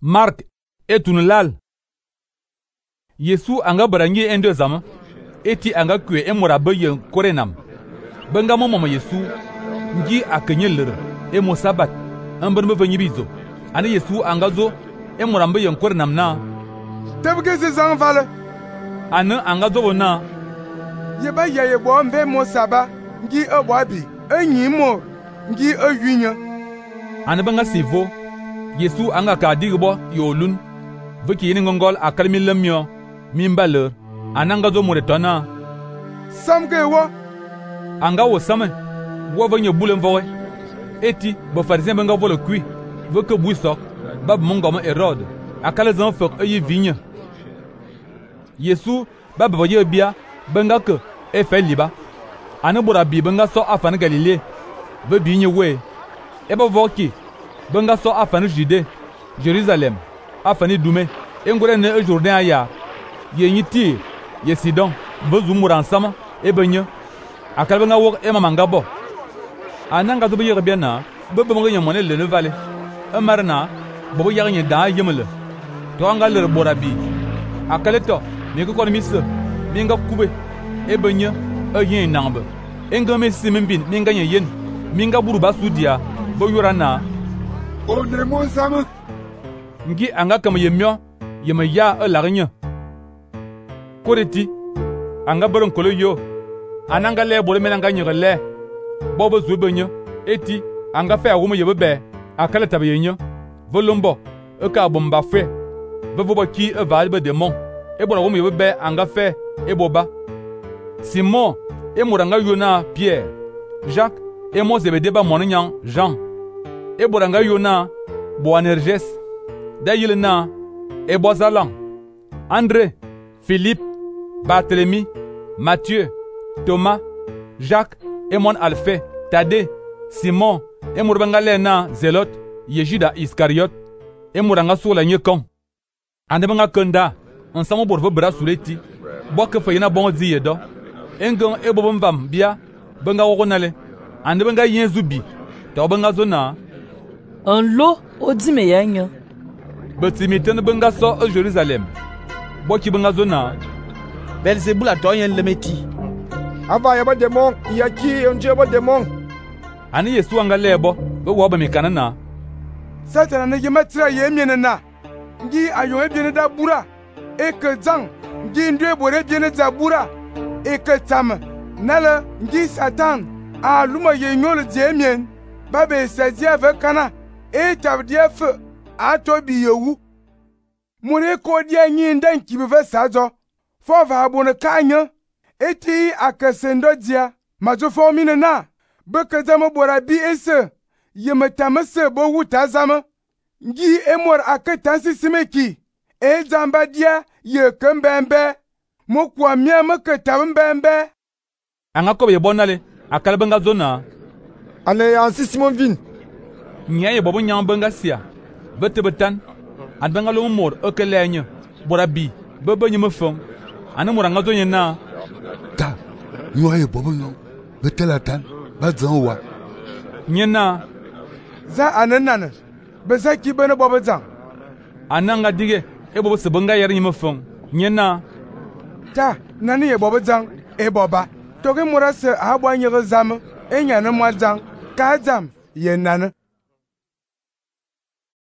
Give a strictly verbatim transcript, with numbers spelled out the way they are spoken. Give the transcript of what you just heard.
Mark etunulal. Yesu anga barangi ende zama eti anga kwe emora bayen korenam. Benga momo Yesu ngi akenyeler emo sabat amber me vanyibizo. Ani Yesu anga zo emora bayen korenam na. Tebge se zan vale. Ana anga zo na. Yeba yaye bo mbe mo saba ngi ebwabi enyi mo ngi eyunya. Ana benga sivo Yesu anga ka digbo yolun. Veki yini ngongol akalmi lemyo mimbaler ananga zo muretona samge wo anga wo same wo vanyo bulen vowe eti bo farisien benga volo kui veke buisok bab mongoma Herode akala zan fok ayi vigne Yesu bab boye bia benga ke e fe liba ane bora bi benga so afan Galilée ve bigne we e bo voki benga so afan Jude Jérusalem afani dume engure ne Jourdain aya ye nyiti ye Sidon bezu muran sama e benye akalbe nga wok e mama ngabo ananga zo beye biana bebe mo nyamone le ne vale e marna bo ya nye da yemele to anga le borabi akaleto mi ko mi se mi nga kube e benye e yin nangbe enga me simbin mi nga yen mi nga buru basudia bo yorana o ne mo sama ngi anga kam yemyo yema ya e lagnya koreti anga baron kolo yo ananga le bole menanga nyele bobo zubenyo eti anga fe awomo yebebe akala tabayenyo volombo e ka bomba fe vevobo ki e valbe demon e bora womo yebebe anga fe e boba Simon e muranga yona Pierre Jacques e mo zebedeba monanyang Jean e boranga yona Boanerges da yilna e bozalan André Philippe Barthélemy, Matthieu, Thomas, Jacques, et mon Alphée, Thaddée, Simon, et Mourbangalena, Zélote, Yejuda Iscariot, et Mouranga sur la Nyekon. Andebanga Kenda, ensemble pour vos bras sous les ti, bois que Fayena bon ziedo, Engon et Bobam Bia, Benga Ronale, Andebanga Yenzubi, Tobanga Zona, un lot au Dimeyang. Betimiten Benga so au Jérusalem, bois qui Benga Zona. Belzebul a doyen le meti. Ava yaba demon, yaki onje yaba demon. Ani Yesu anga lebo, be woba mekanana. Satana ne yemetra yemiene na. Ngi ayo ebiene da bura. E ke zang, ngi ndwe bore biene za bura. E ke tam. Nala ngi Satan a luma yenyol jemien. Babe saji ave kana. E tabdia fe a tobi yewu. Mure ko dia nyi ndan kibe sazo. Fova abone kanya eti akasendo dia majo formine na beke zama bora bi ese yeme tamese bo wuta zama ngi emor akatansi simeki e zamba dia ye kembembe mo kwa mia make tambembe anga ko be bonale akalbenga zona ale ansi Simon vin nyaye bobo nyambenga sia bete betan adbenga lo mor okelenye bora bi bebe nyeme fon Ana muranga zo nyena ta nyoye bobo nyo betela tan bazan wa nyena za ananana beza ki bene bobo zan ananga dige e bobo sebanga yer nyima fon nyena ta nani ye bobo zan e boba to ke murase abwa nyere zam e nyane mo zan ka zam ye nana